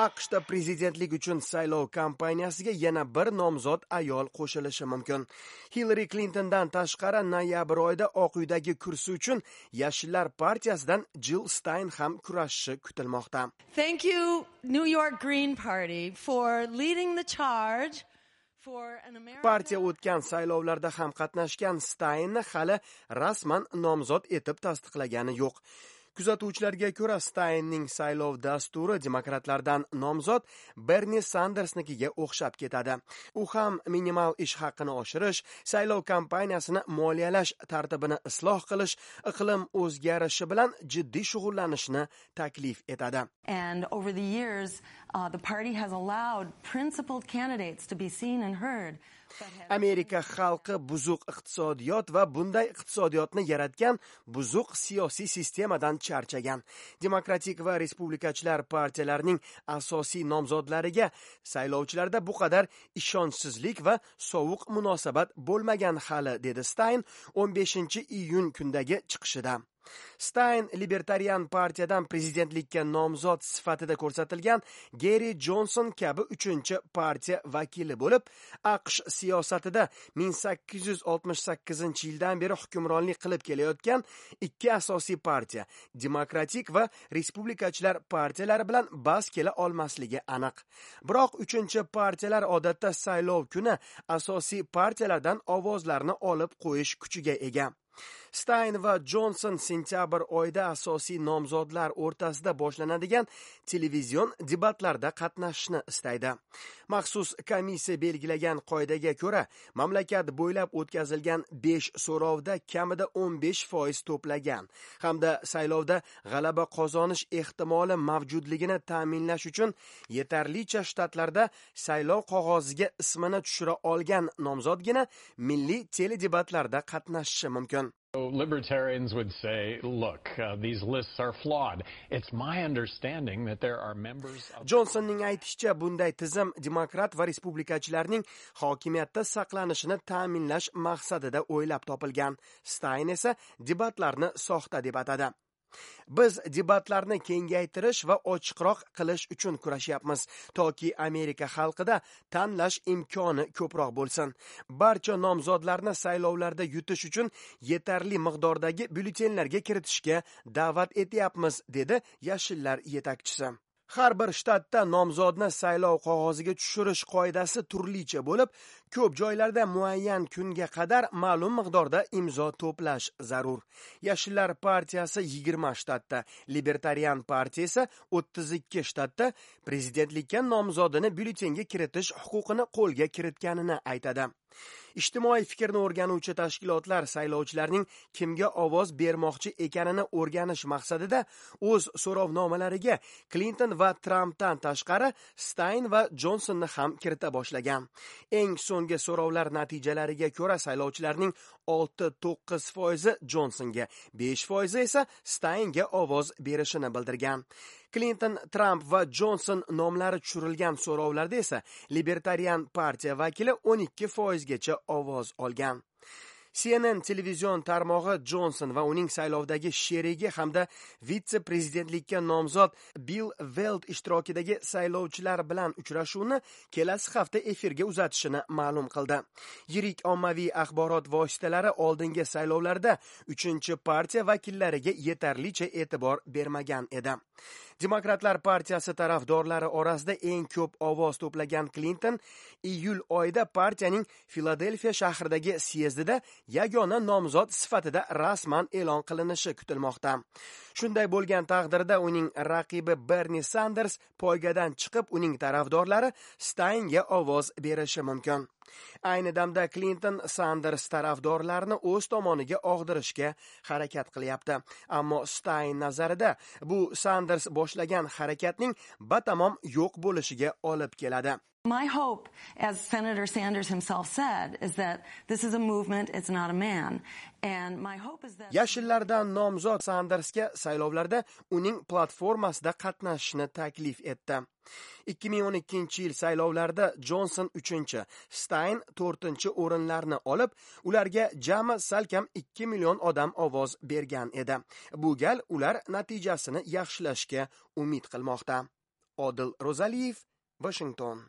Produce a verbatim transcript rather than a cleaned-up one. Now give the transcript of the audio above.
A Q Shda prezidentlik uchun saylov kampaniyasiga yana bir nomzod ayol qo'shilishi mumkin. Hillari Klintondan tashqari, noyabr oyida Oq uydagi kursi uchun Yashillar partiyasidan Jill Stein ham kurashishi kutilmoqda. Thank you, New York Green Party, for leading the charge. Partiya o'tgan saylovlarda ham qatnashgan Staynni hali rasman nomzod etib tasdiqlagani yo'q. Kuzatuvchilarga ko'ra, Staynning saylov dasturi demokratlardan nomzod Berni Sandersnikiga o'xshab ketadi. U ham minimal ish haqini oshirish, saylov kampaniyasini moliyalash tartibini isloh qilish, iqlim o'zgarishi bilan jiddiy shug'ullanishni taklif etadi. And over the years, uh, the party has allowed principled candidates to be seen and heard. "Amerika xalqi buzuq iqtisodiyot va bunday iqtisodiyotni yaratgan buzuq siyosiy sistemadan charchagan. Demokratik va respublikachilar partiyalarining asosiy nomzodlariga saylovchilarda bu qadar ishonchsizlik va sovuq munosabat bo'lmagan hali", dedi Stayn o'n beshinchi iyun kundagi chiqishida. Stayn Libertarian partiyadan prezidentlikka nomzod sifatida ko'rsatilgan Geri Jonson kabi uchinchi partiya vakili bo'lib, A Q Sh siyosatida ming sakkiz yuz oltmish sakkizinchi yildan beri hukmronlik qilib kelayotgan ikki asosiy partiya, Demokratik va Respublikachilar partiyalari bilan bas kela olmasligi aniq. Biroq uchinchi partiyalar odatda saylov kuni asosiy partiyalardan ovozlarni olib qo'yish kuchiga ega. Stayn va Jonson sentyabr oyida asosiy nomzodlar o'rtasida boshlanadigan televizion debatlarda qatnashishni istaydi. Maxsus komissiya belgilagan qoidaga ko'ra, mamlakat bo'ylab o'tkazilgan besh so'rovda kamida o'n besh foiz to'plagan hamda saylovda g'alaba qozonish ehtimoli mavjudligini ta'minlash uchun yetarlicha shtatlarda saylov qog'oziga ismini tushira olgan nomzodgina milliy teledebatlarda qatnashishi mumkin. Libertarians would say, "Look, uh, these lists are flawed." It's my understanding that there are members of Jonsonning aytishicha, bunday tizim demokrat va respublikachilarning hokimiyatda saqlanishini ta'minlash maqsadida o'ylab topilgan. Stayn esa debatlarni soxta deb atadi. "Biz debatlarni kengaytirish va ochiqroq qilish uchun kurashyapmiz, toki Amerika xalqida tanlash imkoni ko'proq bo'lsin. Barcha nomzodlarni saylovlarda yutish uchun yetarli miqdordagi byulletenlarga kiritishga da'vat etyapmiz", dedi Yashillar yetakchisi. Har bir shtatda nomzodni saylov qog'oziga tushirish qoidasi turlicha bo'lib, ko'p joylarda muayyan kunga qadar ma'lum miqdorda imzo to'plash zarur. Yashillar partiyasi yigirma shtatda, Libertarian partiya esa o'ttiz ikki shtatda prezidentlikka nomzodini byulletenga kiritish huquqini qo'lga kiritganini aytadi. Ijtimoiy fikrni o'rganuvchi tashkilotlar saylovchilarning kimga ovoz bermoqchi ekanini o'rganish maqsadida o'z so'rovnomalariga Klinton va Trampdan tashqari Stayn va Jonsonni ham kirita boshlagan. Eng so'nggi so'rovlar natijalariga ko'ra, saylovchilarning olti to'qqiz foizi Jonsonga, besh foizi esa Staynga ovoz berishini bildirgan. Klinton, Tramp va Jonson nomlari tushirilgan so'rovlarda esa Libertarian partiya vakili o'n ikki foizgacha ovoz olgan. C N N televizion tarmog'i Jonson va uning saylovdagi sherigi hamda vitse prezidentlikka nomzod Bill Veld ishtirokidagi saylovchilar bilan uchrashuvni kelasi hafta efirga uzatishini ma'lum qildi. Yirik ommaviy axborot vositalari oldingi saylovlarda uchinchi partiya vakillariga yetarlicha e'tibor bermagan edi. Demokratlar partiyasi tarafdorlari orasida eng ko'p ovoz to'plagan Klinton iyul oyida partiyaning Filadelfiya shahridagi syezdida yagona nomzod sifatida rasman e'lon qilinishi kutilmoqda. Shunday bo'lgan taqdirda uning raqibi Berni Sanders poygadan chiqib, uning tarafdorlari Staynga ovoz berishi mumkin. Ayni damda Klinton Sanders tarafdorlarini o'z tomoniga og'dirishga harakat qilyapti. Ammo Stayn nazarida bu Sanders boshlagan harakatning batamom yo'q bo'lishiga olib keladi. My hope, as Senator Sanders himself said, is that this is a movement, it's not a man. And my hope is that Yashillardan nomzod Sandersga saylovlarda uning platformasida qatnashishni taklif etdi. ikki ming o'n ikkinchi yil saylovlarida Jonson uchinchi, Stayn to'rtinchi o'rinlarni olib, ularga jami salkam ikki million odam ovoz bergan edi. Bu gal ular natijasini yaxshilashga umid qilmoqda. Odil Ro'zaliyev, Vashington.